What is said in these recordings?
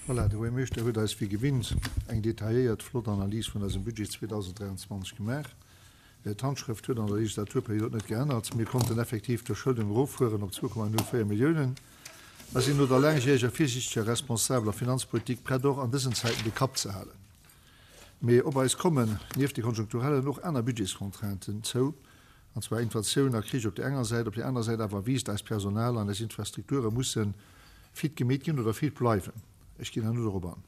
Voilà, de Buergermeeschter huet eis wéi gewinnt eng detailléiert, flott Analys vun eisem Budget 2023 gemaach. D'Handschrëft huet an der Legislaturperiod net geännert. Mir konnten effektiv d'Verschuldung eroffueren op 2,04 Milliounen a sinn no der laangjäreger virsiichteger, responsabeler Finanzpolitik prett och an dësen Zäiten de Kapp ze halen. Mee op eis kommen nieft de konjunkturellen och aner Budgetscontrainten zou, an zwar Inflatioun a Krich op där enger Säit, op där anerer Säit awer wiisst eist Personal an eis Infrastrukture musse fit gemeet ginn oder fit bleiwen. Ech ginn herno dorop an.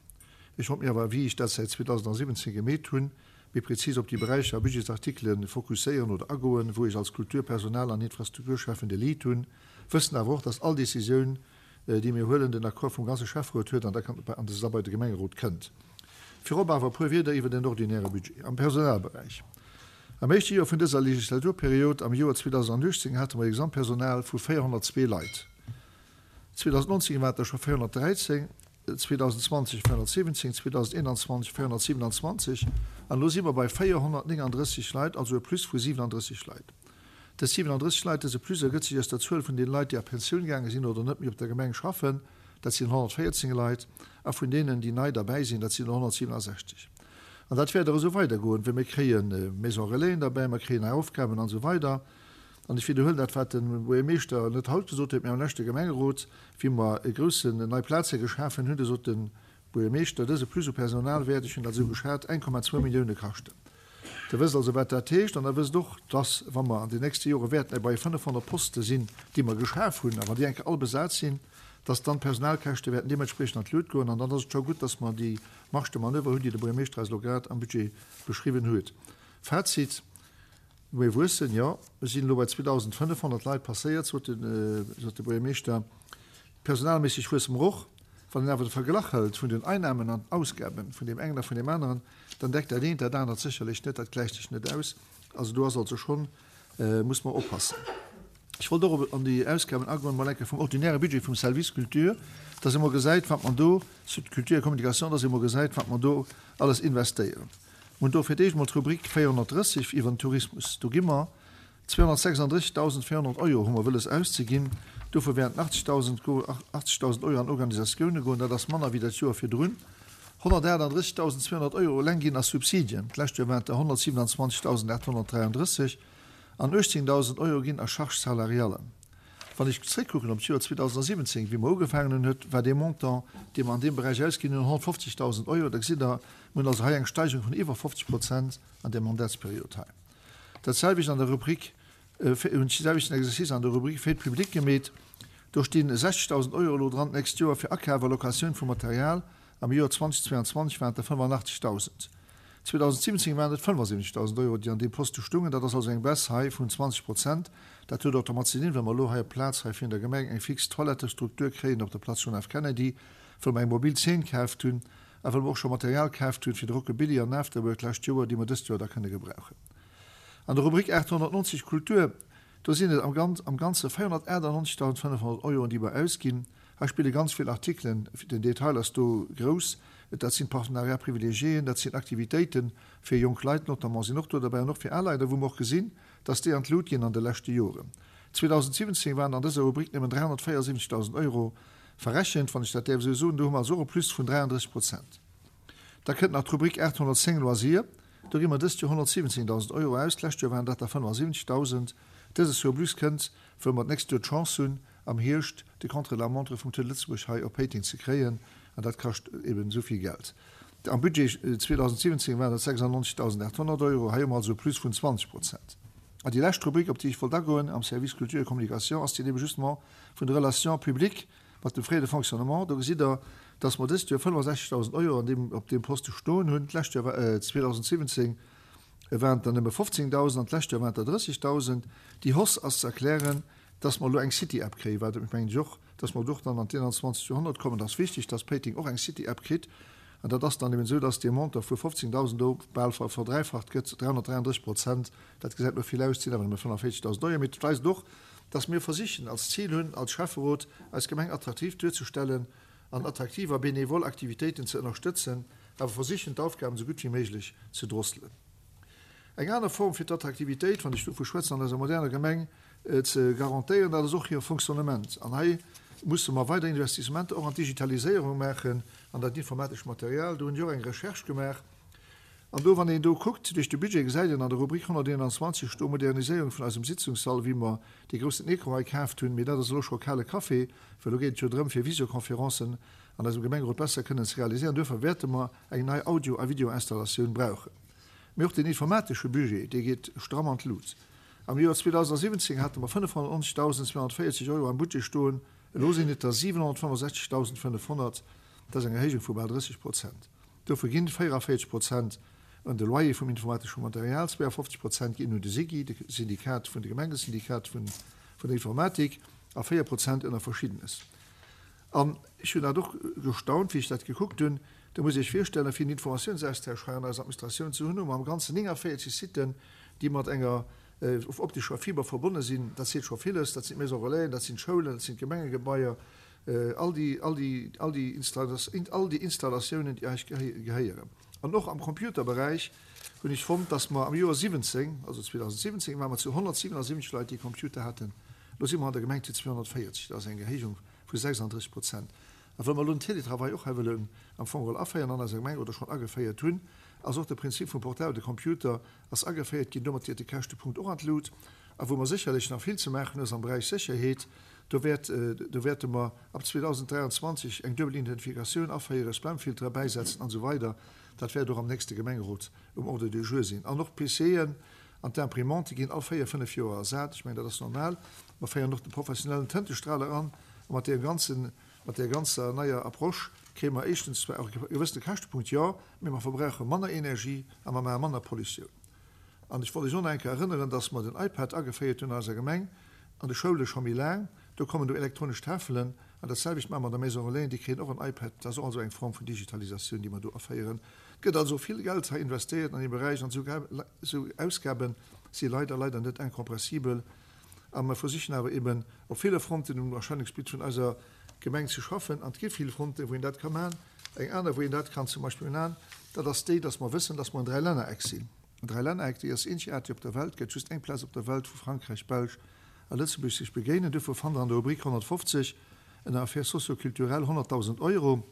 Ech wollt mir awer, wéi ech dat säit 2017 gemeet hunn, méi prezis op déi Beräicher a Budgetsartikele fokusséieren oder agoen, wou ech als Kultur-, Personal an Infrastrukturschäffen de Lead hunn, wëssen awer och, dass all Decisioun, déi mir huelen, den Accord vum ganze Schäfferot huet an da an da bei de Gemengerot kënnt. Virop awer e puer Wierder iwwer den ordinäre Budget am Personalberäich. Am éischte Joer vun dëser Legislaturperiod, am Joer 2018, hate mer e Gesamtpersonal vu 402 Leit. 2019 waren et der scho 413. 2020 417, 2021 427 an elo si mer bei 439 Leit, also e Plus vu 37 Leit. Dës 37 Leit, dëse Plus ergëtt sech aus der Zuel vun deene Leit, déi a Pensioun gaange sinn oder net méi op der Gemeng schaffen, dat sinn 114 Leit, a vun deenen, déi nei derbäi sinn, dat sinn der 167. An dat wäert och esou weidergoen, well mir kréie Maison-relaisen derbäi, mer kréien nei Aufgaben an esou weider. An ech widderhuelen dat, wat de Buergermeeschter net haut gesot huet, mä am leschte Gemengerot, wéi mer e groussen nei Plaze geschafen hunn, do sot de Buergermeeschter, dëse Plus u Personal wäert, ech hunn dat esou geschat, 1,2 Millioune kaschten. Der wësst also, wat dat heescht. An Der wësst och, dass, wa mer an den nächste Jore wäerten bei 500 Poste sinn, déi mer geschaf hunn, a wann déi eng Kéier all besat sinn, dass dann d'Personalkäschte wäerten deementspriechend an d'Lut goen. An dann ass et scho gutt, dass mer déi Marge de manoeuvre hunn, déi de Buergermeeschter eis elo grad am Budget beschriwwen huet. Fazit, Mir wuessen, jo. Mir sinn elo bei 2.500 Leit passéiert, sot de Buergermeeschter. Personalméisseg wuesse mer och. Wann een awer de Verglach hëlt vun den Einnamen an den Ausgabe vun deem engen a vun deem aneren, dann deckt dat eent dat anert sécherlech net. Dat gläicht sech net aus. Also do ass also schonn, muss mer oppassen. Ech wollt och op an déi Ausgaben agoen, mol eng Kéier vum ordinäre Budget vum Service Culture, dass ee mol gesäit, wat mer do, Culture et Communication, dass ee mol gesäit, wat mer do alles investéieren. Mir hunn do fir d'éischt emol d'Rubrik 430 iwwer den Tourismus. Do gi mer 236.400 Euro hu mer wëlles auszeginn. Dovu wäerten 80.000 go, 80.000 Euro an Organisatioune goen, dat ass manner wéi dat Joer virdrun. 138.200 Euro eleng ginn a Subsidien, d'lescht Joer waren et der 127.833, an 18.000 Euro ginn a Charges salariales. Wann ech zréckkucken op d'Joer 2017, wéi mer ugefaangen hunn, huet, war dee Montant, dee mer an deem Beräich ausginn hunn, 150.000 Euro. Da gesitt Der, Mir hunn also hei eng Steigerung vun iwwer 50 Prozent an där Mandatsperiod hei. Dat selwecht an der Rubrik, hunn ech dee selwechten Exercice an der Rubrik Fête publique gemeet. Do sti 60.000 Euro elo dran d'nächst Joer fir Akaf a Locatioun vu Material. Am Joer 2022 waren et der 85.000. 2017 waren et 75.000 Euro, déi an deem Poste stungen. Dat ass also eng Baisse hei vun 20 Prozent. Dat huet och domat ze dinn, well mer elo hei op d'Plaz hei virun der Gemeng eng fix Toilettestruktur kréien op der Place John F. Kennedy, wou mer eng mobil Zeen kaaft hunn. A well mer och scho Material kaaft hunn fir de Rockabilly an Afterwork d'lescht Joer, déi mer dëst Joer da kënne gebrauchen. An der Rubrik 890 Kultur, do sinn et am am Ganze 498.500 Euroen, déi mer ausginn. Hei spille ganz vill Artikelen, den Detail ass do grouss, dat sinn Partenariats privilégiéen, dat sinn Aktivitéite fir jonk Leit notamment sinn och do derbäi an och fir al Leit, a wou mer och gesinn, dass déi an d'Lut ginn an de leschte Joren. 2017 waren an dëser Rubrik nëmmen 374.000 Euro Verrechent, wann ech dat däerf esou soen, do hu mer also och e Plus vun 33 Prozent. Da kënnt nach d'Rubrik 810 Loisirs, do gi mer dëst Joer 117.000 Euro aus, d'lescht Joer waren dat der 75.000. Dëse Surplus kënnt, wëll mer d'nächst Joer d'Chance hunn, am Hierscht de Contre-la-montre vum Tour de Lëtzebuerg hei op Péiteng ze kréien, an dat kascht eben esou vill Geld. Am Budget 2017 waren dat 96.800 Euro, hei hu mer also e Plus vun 20 Prozent. An déi lescht Rubrik, op déi ech wollt agoen am Service Culture et Communication, ass déi eben justement vun de Relations publiques mat dem Frais de fonctionnement. Do gesitt Der, dass mer dëst Joer 65.000 Euro an deem, op deem Poste stoen hunn. D'lescht Joer war, 2017 waren et der nëmme 15.000 an d'lescht Joer waren et der 30.000. Déi Hausse ass ze erklären, dass mer elo eng City-App kréien, wat, mengen ech och, dass mer do och dann an d'Ienanzwanzegt Joerhonnert kommen. Et ass wichteg, dass Péiteng och eng City-App kritt. An dat ass dann eben esou, dass dee Montant vu 15.000 do bal verdräifacht gëtt, 333 Prozent. Dat gesäit elo vill aus, et sinn awer nëmme 45.000 Euro. Mee et weist och, dass mir versichen, als Zil hunn, als Schäfferot, eis Gemeng attraktiv duerzestellen an attraktiv a benevol Aktivitéiten ze ënnerstëtzen, awer versichen, d'Aufgaben esou gutt wéi méiglech ze drosselen. Eng aner Form fir d'Attraktivitéit, wann ech dovu schwätzen, an eiser moderner Gemeng ze garantéieren, dat ass och hire Fonctionnement. An hei musse mer weider Investissementer och an d'Digitaliséierung maachen, an dat informatescht Material. Do hunn ech och eng Recherche gemaach. An do, wann een do kuckt duerch de Budget, gesäit een an der Rubrik 121 sto Moderniséierung vun eisem Sitzungssall, wéi mer dee groussen Ecran hei kaaft hunn. Mee dat ass elo scho kale Café, well elo geet et jo drëm, fir Visioconferencen an eisem Gemengerot besser kënnen ze realiséieren. Duerfir wäerte mer eng nei Audio a Videoinstallatioun brauchen. Mee och den informatesche Budget, dee geet stramm an d'Lut. Am Joer 2017 hate mer 590.240 Euro am Budget stoen, elo sinn et der 765.500. Dat ass eng Erhéijung vu bal 30 Prozent. Dovu ginn 44 Prozent un de Loyer vum informatesche Material, 52 Prozent ginn un de SIGI, de Syndikat vun de Gemengesyndikat vun der Informatik, a 4 Prozent ënner Verschiddenes. An ech hunn dat och gestaunt, wéi ech dat gekuckt hunn. Da musst Dir Iech virstellen, fir en Informatiounsaustausch hei an eiser Administratioun ze hunn, hu mer am Ganzen 49 Siten, déi mat enger optescher Fiber verbonne sinn. Dat seet scho villes. Dat sinn d'Maisons Relaisen, dat sinn d'Schoulen, dat sinn d'Gemengegebaier, all déi, all déi, all déi all déi Installatiounen, déi eis gehéieren. An och am Computerberäich hunn ech fonnt, dass mer am Joer 17, also 2017, ware mer zu 177 Leit, déi Computer haten. Elo si mer an der Gemeng zu 240. Dat ass eng Erhéijung vu 36 Prozent. A well mer elo den Télétravail och hei wëllen am Fong geholl aféieren an eiser Gemeng oder schonn ageféiert hunn, ass och de Prinzip vum portable Computer ass ageféiert ginn. Domat geet de Käschtepunkt och an d'Lut. A wou mer sécherlech nach vill ze maachen hunn, ass am Beräich Sécherheet. Do wäert, do wäerte mer ab 2023 eng duebel Identifikatioun aféieren, Spamfiltere bäisetzen an esou weider. Dat wäert och am nächste Gemengerot um Ordre du jour sinn. An och d'PCen an d'Imprimante ginn all véier, fënnef Joer ersat. Ech mengen, dat ass normal. Mer féieren och de professionellen Tëntestraler an. A mat deem ganzen, mat där ganzer neier Approche kréie mer éischtens zwar och e gewëssene Käschtepunkt, jo, mee mer verbrauche manner Energie a mer maache manner Pollutioun. An ech wollt Iech och nach eng Kéier erënneren, dass mer den iPad ageféiert hunn an eiser Gemeng, an de Schoule scho méi laang. Do kommen do elektronesch Tafelen. An dat selwecht maache mer an der Maison Relais, déi kréien och en iPad. Dat ass och also eng Form vun Digitalisatioun, déi mer do aféieren. Et gëtt also vill Geld hei investéiert an deem Beräich an esou Ausgabe si leider, leider net incompressibel. A mer versichen awer eben op ville Fronten um Erscheinungsbild vun eiser Gemeng ze schaffen. An et gi vill Fronten, wou een dat ka maachen. Eng aner, wou een dat kann zum Beispill maachen, dat ass déi, dass mer wëssen, dass mer en Dräilännereck sinn. En Dräilännereck, déi ass eenzegaarteg op der Welt, gëtt just eng Plaz op der Welt, wou Frankräich, Belsch a Lëtzebuerg sech begéinen. Duerfir fannt Der an der Rubrik 150 ënner Affaires socio-culturelles 100.000 Euro.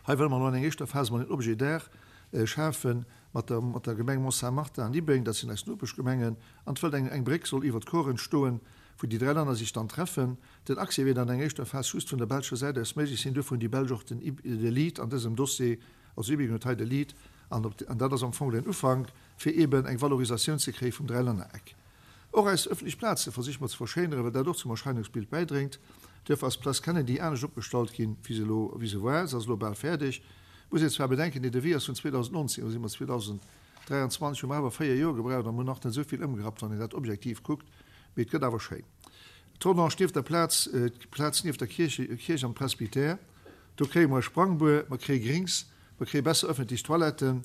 Hei wëlle mer elo an enger éischter Phas emol en Objet d'art schafen mat der, mat der Gemeng Mont-Saint-Martin an Ibeng, dat sinn eis Nopeschgemengen, an et wëllt eng, eng Bréck soll iwwert d'Kor entstoen, wou déi dräi Länner sech dann treffen. Den Accès wäert an enger éischter Phas just vun der belscher Säit aus méiglech sinn. Duerfir hunn déi Belsch och den, de Lead an dësem Dossier, also Ibeng huet hei de Lead, an op, an dat ass am Fong den Ufank, fir eeben eng Valorisatioun ze kréie vum Dräilännereck. Och eis ëffentlech Plaze versiche mer ze verschéineren, well dat och zum Erscheinungsbild bäidréngt. Duerfir ass d'Place Kennedy anescht opgestallt ginn, wéi se elo, wéi se war. Se ass elo bal fäerdeg. Muss een zwar bedenken, dee Devis ass vun 2019, elo si mer 2023, hu mer awer 4 Joer gebraucht an hunn nach net esou vill ëmgerappt, wann een dat objektiv kuckt, mee et gëtt awer schéin. D'Rodange nieft der Plaz, d'Plaz nieft der Kierche, Kierch am Presbytère, do kréie mer e Sprangbuer, mer kréie Grings, mer kréie besser ëffentlech Toiletten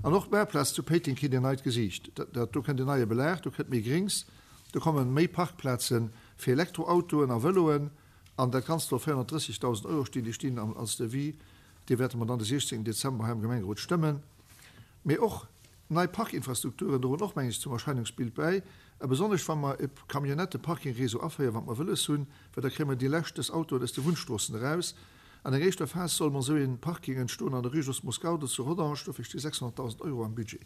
an och d'Maartplaz zu Péiteng kritt en neit Gesiicht. Dat do kënnt en neie Belag, do kënnt méi Grings, do komme méi Parkplaze fir Elektroautoen a Vëloen an dat Ganzt soll 430.000 Euro stinn. Déi stinn als Devis, dee wäerte mer dann de 16 Dezember hei am Gemengerot stëmmen. Mee och nei Parkinfrastrukturen droen och, meng ech, zum Erscheinungsbild bäi, a besonnesch wa mer e Camionnetteparkingréseau aféieren, wat mer wëlles hunn, well da kréie mer déi lescht des Autoen aus de Wunnstroossen eraus. An enger éischter Phas soll mer esou ee Parking entstoen an der Rue Jos Moscardo zu Rodange, dofir sti 600.000 Euro am Budget.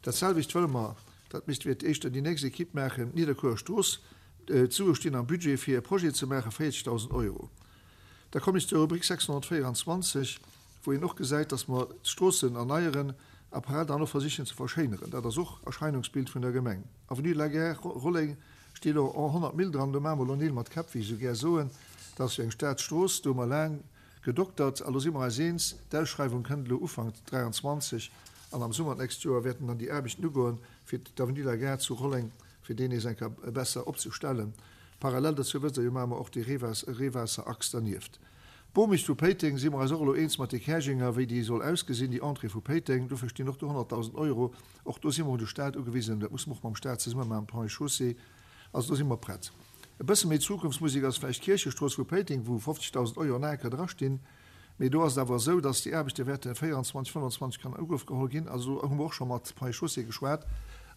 Dat selwecht wëlle mer, dat misst wier éischter déi nächst Equipe maachen, d'Nidderkuerer Strooss, d'Sue stinn am Budget fir e Projet ze maachen, 40.000 Euro. Da kommen ech zur Rubrik 624. wou een och gesäit, dass mer d'Stroossen erneieren a parallel dann och versichen ze verschéineren. Dat ass och Erscheinungsbild vun der Gemeng. Avenue de la Gare, Rolleng, steet elo en 100 Mille dran. Do maache mer elo Neel mat Käpp, wéi ech esou gär soen. Dat ass jo eng Staatsstrooss, do hu mer laang gedoktert a lo si mer eis eens, d'Ausschreiwung kënnt elo Ufank 23 an am Summer d'nächst Joer wäerten dann déi Aarbechten ugoen, fir d'Avenue de la Gare zu Rolleng, fir déi nees eng Kéier besser opzestellen. Parallel dozou, wësst Der jo, maache mer och déi Reewaasserachs dernieft. D'Bomicht vu Péiteng si mer eis och elo eens mat de Käerjenger, wéi déi soll ausgesinn, déi Entrée vu Péiteng. Dofir stinn och do 100.000 Euro. Och do si mer un de Stat ugewisen. Dat musse mer och mam Stat zesumme maachen, Ponts et Chaussées. Also do si mer prett. E bësse méi Zukunftsmusek ass vläicht d'Kierchestrooss vu Péiteng, wou 50.000 Euro nach eng Kéier drastinn. Mee do ass et awer esou, dass déi Aarbechte wäerte 24, 25 kann an Ugrëff geholl ginn. Also do hu mer och scho mat Ponts et Chaussées geschwat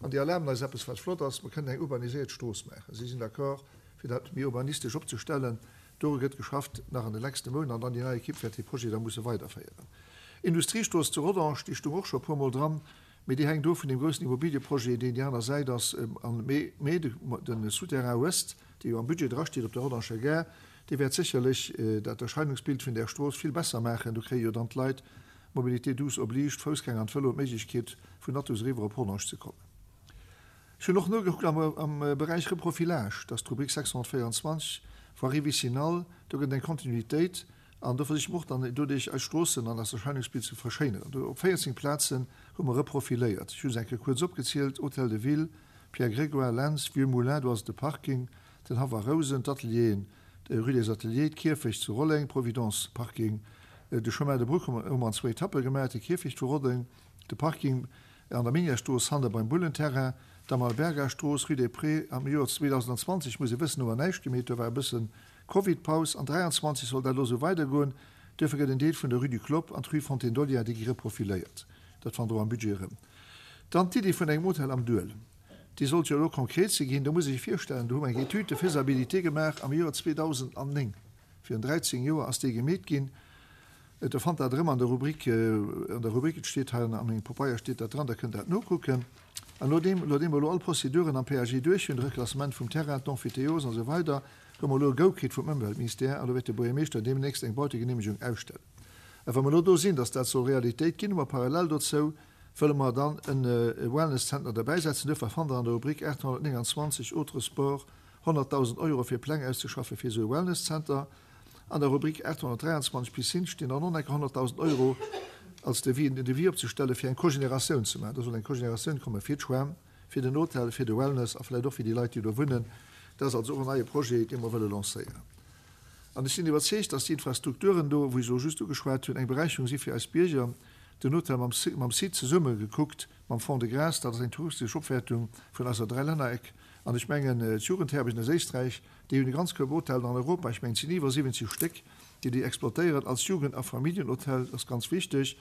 an déi erlaben eis eppes, wat flott ass, Mer kënnen eng urbaniséiert Strooss maachen. Si sinn d'accord, fir dat méi urbanistesch opzestellen. Doru gëtt geschafft nach an de lechste Mount an dann déi nei Ekipp wäert dee Projet da musse weiderféieren. Industriestrooss zu Rodange, déi stung och scho e puermol dran, mee déi hänkt of vun deem groussen Immobilieprojet, deen déi aner Säit ass. An mee de Souterrain Ouest, dee jo am Budget drasteet op der Rodanger Gare, dee wäert sécherlech dat Erscheinungsbild vun där Strooss vill besser maachen. Do kréie jo dann d'Leit, Mobilité douce oblige, d'Foussgänger an d'Vëloen d'Méiglechkeet, vun Athus eriwwer op Rodange ze kommen. Ech hunn och nogekuckt am Beräich Reprofilage, dat ass d'Rubrik 624, Voirie vicinale, do gëtt et eng Kontinuitéit an do versiche mer och dann doduerch eis Stroossen an eist Erscheinungsbild ze verschéineren. Do op 14 Plazen hu mer reprofiléiert. Ech hu se eng Kéier kuerz opgezielt, Hôtel de Ville, Pierre Grégoire, Lentz, Vieux Moulin, do ass et de Parking, den Haff a Rousen, d'Atelieren, Rue des Ateliers, d'Kierfecht zu Rolleng, Providence Parking, de Chemin de Bruck hu mer an zwou Etappe gemaach, de Kierfecht vu Rolleng, de Parking an der Minièrestrooss hanne beim Bullenterrain, d'Amalberga-Strooss, Rue des Prés. Am Joer 2020, muss ee wëssen, hu mer näischt gemeet, do war e bësse Covid-Paus. An 23 soll dat elo esou weidergoen. Duerfir gëtt en Deel vun der Rue du Clopp an d'Rue Fontaine d'Olia, déi gi reprofiléiert. Dat fannt Der och am Budget erëm. Dann d'Iddi vun engem Hotel am Duel. Déi sollt jo elo konkret ze ginn. Do muss ee sech virstellen, do hu mer eng Étude de faisabilité gemaach am Joer 2009. Virun 13 Joer ass déi gemeet ginn. Der fannt dat erëm an der Rubrik, an der Rubrik, et steet hei a mengem Papeier steet dat dran, der kënnt dat nokucken. An nodeem, nodeem mer elo all Prozeduren am PAG duerch hunn, de Reklassement vum Terrain, d'Emphytéose an esou weider, hu mer elo e Go kritt vum Ëmweltministère an do wäert de Buergermeeschter deemnächst eng Bautegeneemegung ausstellen. A wa mer elo do sinn, dass dat soll Realitéit ginn, hu mer parallel dozou, wëlle mer dann e Wellness-Zentner derbäisetzen. Duerfir fannt Der an der Rubrik 829, Autres sports, 100.000 Euro fir Pläng auszeschaffen fir esou e Wellness-Zenter. An der Rubrik 823, Piscine, stinn dann och nach 100.000 Euro als Devis, en Devis opzestelle fir eng Cogénératioun ze maachen. Do soll eng Cogénératioun komme fir d'Schwämm, fir den Hotel, fir de Wellness a vläicht och fir déi Leit, déi do wunnen. Dat ass also och en neie Projet, dee mer wëlle lancéieren. An ech sinn iwwerzeegt, dass déi Infrastrukturen do, wou ech elo just ugeschwat hunn, eng Beräicherung si fir eis Bierger. Den Hotel mam mam Site zesumme gekuckt, mam Fonds de Grâce, dat ass eng touristesch Opwäertung vun eiser Dräilännereck. An ech mengen, d'Jugendherbergen aus Éisträich, déi hunn e ganz Koup Hotellen an Europa, ech mengen, et sinn iwwer 70 Stéck, déi déi exploitéieren als Jugend a Familljenhotel. Dat ass ganz wichteg.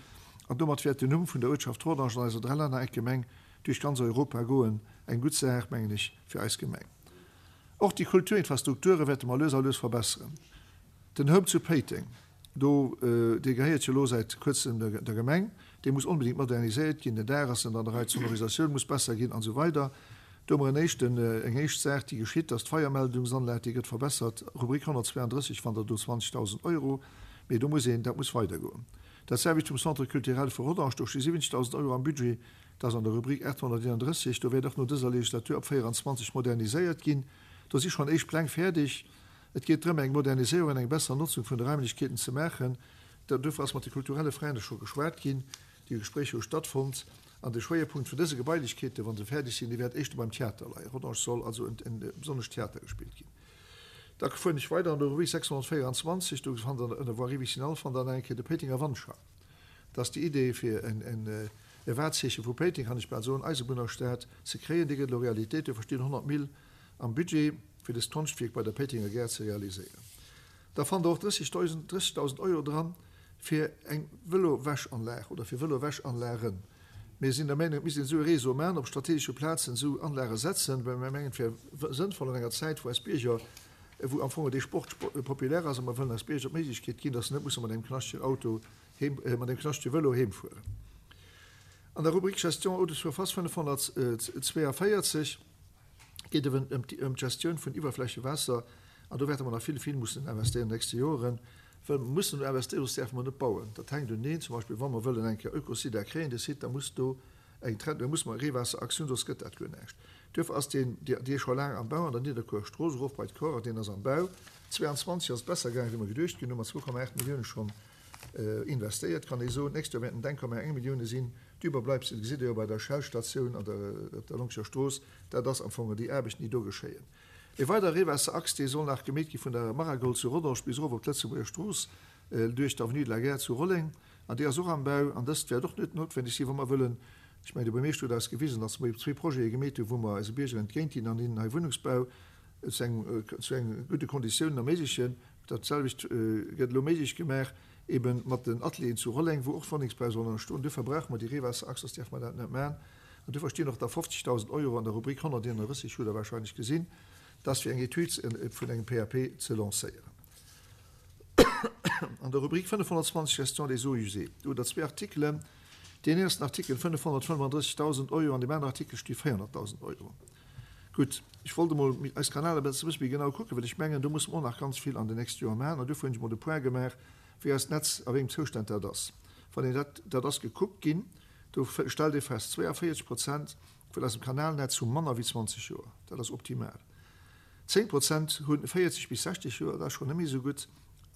An domat wäert den Numm vun der Uertschaft Rodange an eiser Dräilännereck-Gemeng duerch ganz Europa goen. Eng gutt Saach, mengen ech, fir eis Gemeng. Och déi Kulturinfrastrukture wäerte mer lues a lues verbesseren. Den Home zu Péiteng, do, dee gehéiert jo elo säit kuerzem der Gemeng, dee muss onbedéngt moderniséiert ginn, den Daach ass net an der Rei, d'Sonorisatioun muss besser ginn an esou weider. Do hu mer en éischten, eng éischt Saach, déi geschitt, dass d'Feiermeldungsanlag, déi gëtt verbessert, Rubrik 132 fannt Der do 20.000 Euro, mee do muss een, dat muss weidergoen. Dat selwecht vum Centre culturel vu Rodange, do sti 70.000 Euro am Budget, Dat ass an der Rubrik 831. Do wäert och no dëser Legislatur ab 24 moderniséiert ginn. Do si schonn éischt Pläng fäerdeg. Et geet drëm, eng Moderniséierung an eng besser Notzung vun de Raimlechkeeten ze maachen. Dofir ass mat de kulturelle Frände scho geschwat ginn. Déi Gespréicher hu stattfonnt. An de Schwéierpunkt vun dëse Gebailechkeeten, wa se fäerdeg sinn, dee wäert éischter beim Theater leien. Rodange soll also e besonnescht Theater gespillt ginn. Da fueren ech weider an der Rubrik 624. Do fannt Der ënner Voirie vicinale fannt Der nach eng Kéier de Péitenger Wandschar. Dat ass déi Idee fir en e Wahrzeeche vu Péiteng, kann ech bal soen, Eisebunnerstad ze kréien. Déi gëtt elo Realitéit. Dofir stinn 100 Mille am Budget, fir dëst Konschtwierk bei der Péitenger Gare ze realiséieren. Da fannt Der och 30.000, 30.000 Euro dran fir eng Vëlo-Wäschanlag oder fir Vëlo-Wäschanlagen. Mir sinn der Meinung, et misst een esou e Réseau maachen, op strategesche Plazen esou Anlage setzen, well mir mengen, et wär sënnvoll an enger Zäit, wou eis Bierger, wou am Fong dee Sport populär ass, a mer wëllen eis Bierger d'Méiglechkeet ginn, dass se net musse mat engem knaschtegen Auto heem, mat engem knaschtege Vëlo heemfueren. An der Rubrik Gestion eau de surface 542 geet et ëm d'Gestioun vun Iwwerflächewaasser an do wäerte mer nach vill, vill mussen investéieren an de nächste Joren, well mer mussen do investéieren, soss däerfe mer net bauen. Dat hänkt uneen. Zum Beispill wa mer wëllen eng Kéier Eucosider kréien, de Site, da muss do eng Trennung, da muss mer e Reewaasserachs hunn, soss gëtt dat guer näischt. Duerfir ass deen, dee scho laang am Bau an der Nidderkuer Strooss erof bei d'Kor, deen ass am Bau. 22 ass et besser gaangen, wéi mer geduecht ginn hunn, mat 2,8 Millioune schonn investéiert, kann ee soen. D'nächst Joer wäerten et 1,1 Millioune sinn. D'Überbleibsel gesitt Der jo bei der Shell-Statioun an der, op der Longscher Strooss. Dat ass am Fong déi Aarbechten, déi do geschéien. E weider Reewaasserachs, dee soll nach gemeet gi vun der Maragold zu Rodange bis erof op d'Lëtzebuerger Strooss duerch d'Avenue de la Gare zu Rolleng. An déi ass och am Bau. An dëst wäert och net noutwendeg sinn, wa mer wëllen, ech mengen, de Buermeeschter huet eis gewisen, datt mer zwee Projete gemeet hunn, wou mer eise Bierger entgéint ginn an hinnen hei Wunnungsbau zu engem, zu engem gudde Konditiounen erméiglechen. Dat selwecht gëtt elo méiglech gemaach ebe mat den Atelieren zu Rolleng, wou och Wunnengsbau soll entstoen. Duerfir brauche mer déi Reewaasserachs, soss däerfe mer dat net maachen. An duerfir stinn och da 50.000 Euro an der Rubrik 131, hutt Der wahrscheinlech gesinn, dat ass fir eng Etüd vun engem PAP ze lancéieren. An der Rubrik 520 Gestion des eaux usées, do hutt Der zwee Artikelen. Deen ersten Artikel 535.000 Euro, an deem aneren Artikel sti 400.000 Euro. Gutt, ech wollt emol eis Kanäler e bësse méi genau kucken, well ech mengen, do musse mer och nach ganz vill an den nächste Joer maachen. An duerfir hunn ech emol de Point gemaach, wéi eist Netz, a wéi engem Zoustand dat ass. Wann een dat, dat ass gekuckt ginn, do stellt ee fest, 42 Prozent vun eisem Kanalnetz hu manner wéi 20 Joer. Dat ass optimal. 10 Prozent hu 40 bis 60 Joer, dat ass schonn net méi esou gutt,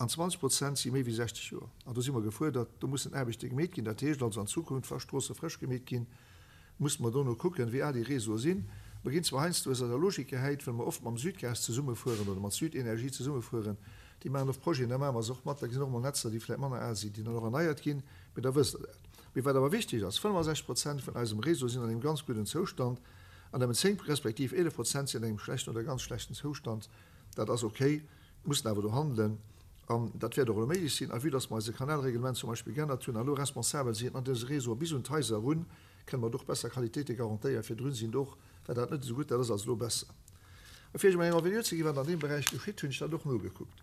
an 20 Prozent si méi wéi 60 Joer. An do si mer gefuerdert, do mussen Aarbechte gemeet ginn. Dat heescht also an Zukunft, wa Stroosse frësch gemeet ginn, musse mer dono kucken, wéi al déi Réseaue sinn. Mer ginn zwar heiansdo aus eiser Logik gehäit, well mer oft mam Südgas zesummefueren oder mat Südenergie zesummefueren, déi maachen oft Projeten, da maache mer se och mat, da sinn och emol Netzer, déi vläicht manner al sinn, déi dann och erneiert ginn, mee da wësst Der dat. Mee wat awer wichteg ass, 65 Prozent vun eisem Réseau sinn an engem ganz gudden Zoustand an nëmmen 10 respektiv 11 Prozent sinn an engem schlechten oder ganz schlechten Zoustand. Dat ass okay, mussen awer do handelen an dat wäert och elo méiglech sinn. A vue dass mer eise Kanalreglement zum Beispill geännert hunn a elo responsabel sinn an dëse Réseaue bis un d'Haiser erun, kënne mer do och besser Qualitéite garantéieren. Virdrun sinn do och, war dat net esou gutt, dat ass also elo besser. A fir Iech emol eng Envergure ze ginn, wat an deem Beräich geschitt, hunn ech dat och nogekuckt.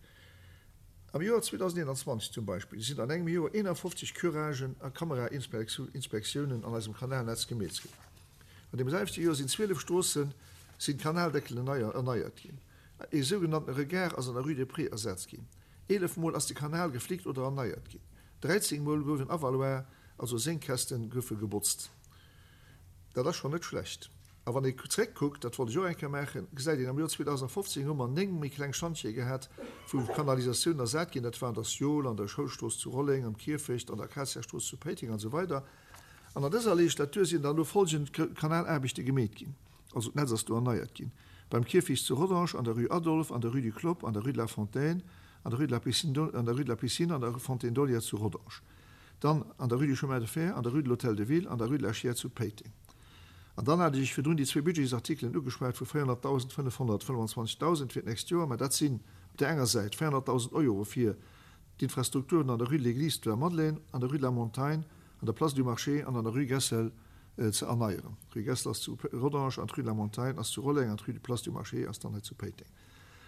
Am Joer 2021 zum Beispill sinn an engem Joer 51 Curagen a Kamerainspektiounen an eisem Kanalnetz gemeet ginn. An deem selwechte Joer sinn 12 Stroosse sinn d'Kanaldeckelen erneiert ginn. Ee sougenannten Regard ass an der Rue des Prés ersat ginn. 11 Mol ass de Kanal geflickt oder erneiert ginn. 13 Mol gouf en Avaloir, also Sénkkästen, goufe gebotzt. Dat ass schonn net schlecht. A wann ee zréckkuckt, dat wollt ech och eng Kéier maachen, gesäit een, am Joer 2015 hu mer 9 méi kleng Schantjere gehat, wou Kanalisatiounen ersat ginn. Dat war an der Siol, an der Schoulstrooss zu Rolleng, am Kierfecht, an der Akaziastrooss zu Péiteng an esou weider. An an dëser Legislatur sinn dann elo folgend Kanalaarbechte gemeet ginn, also d'Netz ass do erneiert ginn, beim Kierfecht zu Rodange, an der Rue Adolphe, an der Rue du Clopp, an der Rue de la Fontaine, an der Rue de la Piscine, an der Rue de la Piscine an der Fontaine d'Olière zu Rodange, dann an der Rue du Chemin de Fer, an der Rue de l'Hôtel de Ville, an der Rue de la Chiers zu Péiteng. An dann hat ech Iech virdrun déi zwee Budgetsartikelen ugeschwat vu 400.000, 525.000 fir d'nächst Joer, mä dat sinn op där enger Säit 400.000 Euro fir d'Infrastrukturen an der Rue de l'Église de la Madeleine, an der Rue de la Montagne, an der Place du Marché an an der Rue Gessel ze erneieren. D'Rue Gessel ass zu Rodange an d'Rue de la Montagne ass zu Rolleng an d'Rue de Place du Marché ass dann hei zu Péiteng.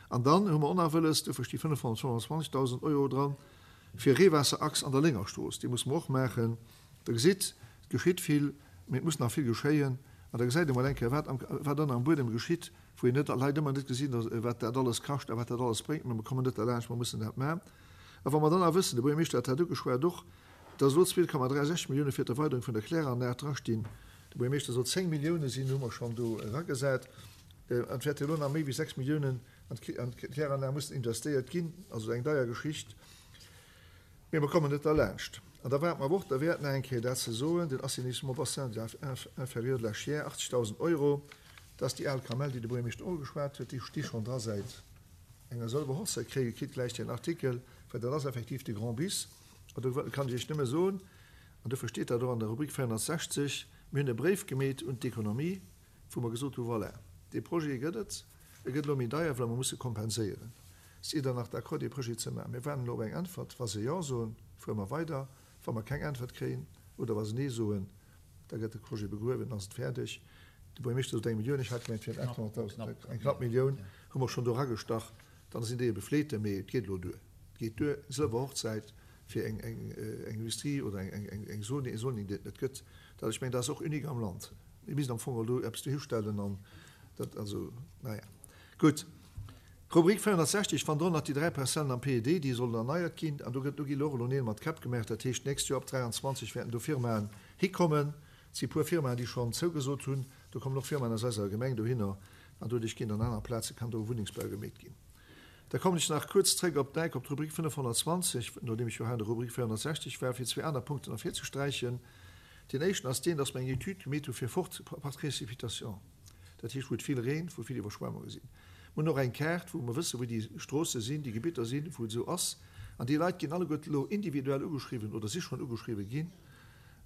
An dann hu mer och nach wëlles, dofir sti 525.000 Euro dran, fir Reewaasserachs an der Léngerstrooss. Déi musse mer och maachen. Der gesitt, et geschitt vill, mee et muss nach vill geschéien. An da gesäit ee mol eng Kéier, wat am, wat ënner am Buedem geschitt, wou een net, Leit ëmmer net gesinn, wat dat alles kascht a wat dat alles bréngt. Mä mer kommen net derlaanscht, mer mussen dat maachen. A wa mer dann nach wëssen, de Buergermeeschter hat dat ugeschwat och, dass elo 2,36 Millioune fir d'Erweiderung vun der Kläranlag drastinn, de Buergermeeschter sot, 10 Millioune sinn, hu mer schonn do eragesat, an et wäerte elo nach méi wéi 6 Milliounen an d'Kläranlag mussen investéiert ginn, also eng deier Geschicht. Mee mer kommen net derlaanscht. An da war et mer awer och derwäert, nach eng Kéier dat ze soen, den Assainissement bassin de inférieur de la Chiers, 80.000 Euro, dat ass déi al Kamell, déi de Buergermeeschter och ugeschwat huet, déi sti schonn dra säit enger Sëlwer Hochzäit. Kréie kritt gläich deen Artikel, well dat ass effektiv de Grand Bis. An do kann ech Iech nëmme soen, an dofir steet dat och an der Rubrik 460, mir hunn e Bréif gemeet un d'Economie, wou mer gesot hu, Voilà, dee Projet gëtt et, e gëtt elo méi deier, well mer musse kompenséieren. Sidd Der nach d'accord, dee Projet ze maachen? Mir waarden elo op eng Äntwert. Wa se Jo soen, fuere mer weider. Wa mer keng Äntwert kréien oder wa se Nee soen, da gëtt de Projet begruewen, dann ass et fäerdeg. De Buergermeeschter sot eng Millioun, ech hat gemengt, et wieren 800.000, eng knapp Millioun hu mer schonn do eragestach. Dann sinn déi ebe fleete, mee et geet elo duer. Et geet duer, Sëlwer Hochzäit fir eng Industrie oder eng Zoning, déi et net gëtt. Dat, ech mengen, dat ass och unique am Land. Mir missten am Fong elo eppes dohistellen an dat, also, naja, gutt. Rubrik 460, Wann drun nach déi 3 Parzellen am PED, déi sollen erneiert ginn, an do gëtt, do gi elo och elo Neel mat Käpp gemaach, dat heescht d'nächst Joer ab 23 wäerten do Firmaen hikommen. Et si puer Firmaen, déi schonn zougesot hunn. Do kommen och Firmaen aus eiser Gemeng dohinner an doduerch ginn an aner Plaze kann do Wunnengsbau gemeet ginn. Da kommen ech nach kuerz zréck op d'Eck, op d'Rubrik 520, nodeem ech jo hei an der Rubrik 460 war, fir zwee aner Punkten ervirzesträichen. Deen éischten ass deen, dass mer eng Etüd gemeet hu fir forte précipitations, dat heescht wou et vill reent, wou vill Iwwerschwemmunge sinn. Mer hunn och eng Kaart, wou mer wëssen, wou déi Stroosse sinn, déi Gebitter sinn, wou et esou ass. An déi Leit ginn alleguerte elo individuell ugeschriwwen oder si schonn ugeschriwwen ginn.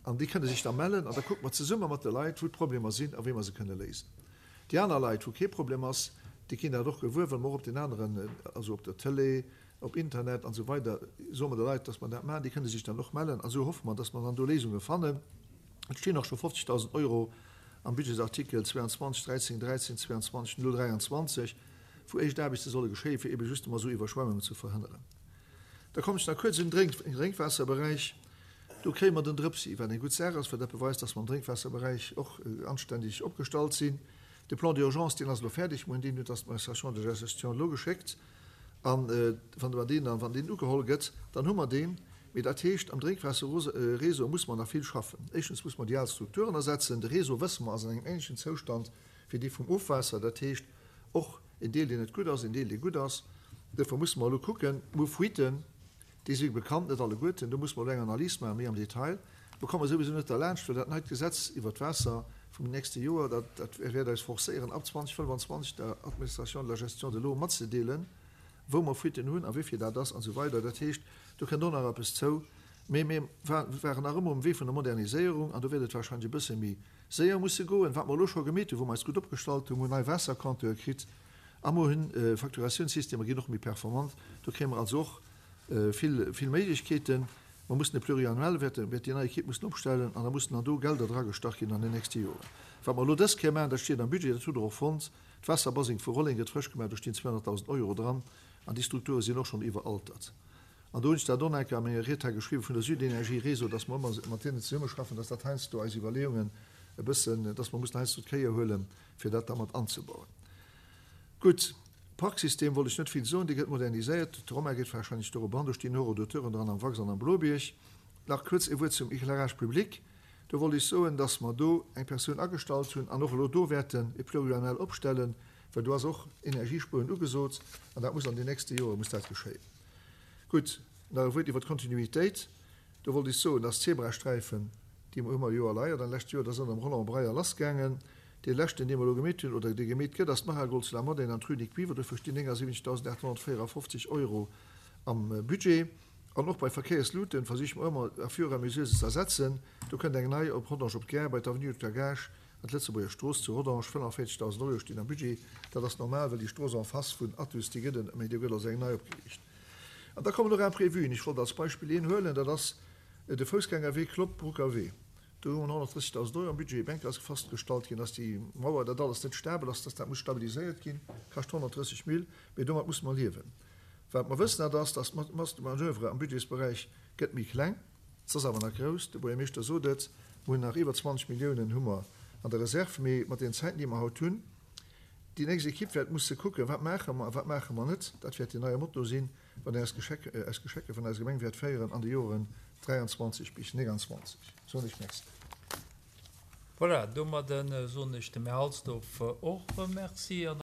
An déi kënne sech da mellen an da kucke mer zesumme mat de Leit, wou d'Problemer sinn a wéi mer se kënne léisen. Déi aner Leit, wou kee Problem ass, déi ginn dat och gewuer, well mer och op den aneren, also op der Tëlee, op Internet an esou weider soe mer de Leit, dass mer dat maachen. Déi kënne sech dann och mellen a sou hoffe mer, dass mer dann do Léisunge fannen. Et stinn och scho 50.000 Euro am Budgetsartikel 22 13 13 22 023, wou éischt Aarbechte solle geschéien, fir ebe justement esou Iwwerschwemmungen ze verhënneren. Da kommen ech nach kuerz un den Drénkwaasserberäich. Do kréie mer den Drëpsi, wat eng gutt Saach ass, well dat beweist, dass mer am Drénkwaasserberäich och anständeg opgestallt sinn. De Plan d'urgence, deen ass elo fäerdeg. Mer hunn deen un d'Administration de la gestion de l'eau geschéckt. A wann mer deen, wann deen ugeholl gëtt, dann hu mer deen. Mee dat heescht, am Drénkwaasserréseau muss mer nach vill schaffen. Éischtens muss mer déi al Strukturen ersetzen. De Réseau, wësse mer, ass an engem änlechen Zoustand wéi dee vum Ofwaasser. Dat heescht, och en Deel, deen net gutt ass, en Deel, dee gutt ass. Duerfir musse mer elo kucken, mer hu Fuiten, déi si bekannt, net alleguerten, do musse mer elo eng Analys maachen, méi am Detail. Mer komme souwisou net derlaanscht, well dat neit Gesetz iwwert d'Waasser vum nächste Joer, dat, dat wäert eis forcéieren, ab 2025 der Administration de la gestion de l'eau matzedeelen, wou mer Fuiten hunn a wéivill dat ass an esou weider. Dat heescht, do kënnt och nach eppes zou. Mee mir waren nach ëmmer um Wee vun der Moderniséierung an do wäert et wahrscheinlech e bësse méi séier musse goen. Wat mer elo scho gemeet hunn, wou mer eis gutt opgestallt hunn, mer hunn nei Waassercompteure kritt a mer hunn Facturatiounssystemer ginn och méi performant. Do kréie mer also och vill, vill Méiglechkeeten. Mer mussen e Pluriannuel, wäert, wäert déi nei Equipe mussen opstellen an da mussen dann do Gelder dragestach ginn an den nächste Joren. Wat mer elo dës Kéier maachen, dat steet am Budget, dat hutt Der och fonnt, d'Waasserbaseng vu Rolleng gëtt frësch gemaach, do stinn 200.000 Euro dran an déi Strukture sinn och schonn iwweraltert. An do hunn ech dat och nach eng Kéier a menger Ried hei geschriwwen vun der Südenergie Réseau, dass mer ëmmer mat hinnen zesummeschaffen, dass dat heiansdo eis Iwwerleeungen e bëssen, dass mer mussen heiansdo d'Kéier huelen, fir dat da mat anzebauen. Gutt, Parksystem wollt ech net vill soen, dee gëtt moderniséiert. De Romain geet warscheinlech dorop an. Do stinn Horodateuren dran am Wax an am Blobierg. Nach kuerz e Wuert zum Éclairage public. Do wollt ech soen, dass mer do eng Persoun agestallt hunn an och elo do wäerten e Pluriannuel opstellen, well do ass och Energiespueren ugesot an dat muss an den nächste Jore muss dat geschéien. Gutt, nach e Wuert iwwer d'Kontinuitéit. Do wollt ech soen, dass d'Zebrasträifen, déi hu mer jo erleiert an lescht Joer, dat ass ënner dem Roland Breyer lassgaangen. Dee leschten, dee mer elo gemeet hunn, oder dee gemeet gëtt, ass d'Maragold zu La Madeleine an d'Rue Nic Biver. Dofir stinn 79.854 Euro am Budget. An och bei Verkéiersluten versiche mer ëmmer à fur et à mesure se ze ersetzen. Do kënnt eng nei op Rodange op d'Gare, bei d'Avenue de Gage an d'Lëtzebuerger Strooss zu Rodange. 45.000 Euro stinn am Budget. Dat ass normal, well déi Strooss en face vun Athus, déi gëtt en, mee do gëtt also eng nei opgeriicht. An da kommen och Imprévuen. Ech wollt als Beispill een huelen, dat ass de Foussgängerwee Klopp-Brucker Wee. Do hu mer 130.000 Euro am Budget. Eng Kéier ass festgestallt ginn, dass déi Mauer, dat alles net stabel ass, dass dat muss stabiliséiert ginn. Kascht 130 Mille, mee domat musse mer liewen. Wat mer wëssen, dat ass, dass d'Masse de manoeuvre am Budgetsberäich gëtt méi kleng. Se ass awer nach grouss. De Buergermeeschter sot et, mer hunn nach iwwer 20 Milliounen hu mer an der Reserve. Mee mat deenen Zäiten, déi mer haut hunn, déi nächst Equipe wäert musse kucken, wat maache mer a wat maache mer net. Dat wäert deen neie Motto sinn, wat eis Geschecke, eis Geschecke vun eiser Gemeng wäert féieren an de Joren 23 bis 29. Soen ech Merci. Voilà, domadden soen ech dem Här Halsdorf och Merci.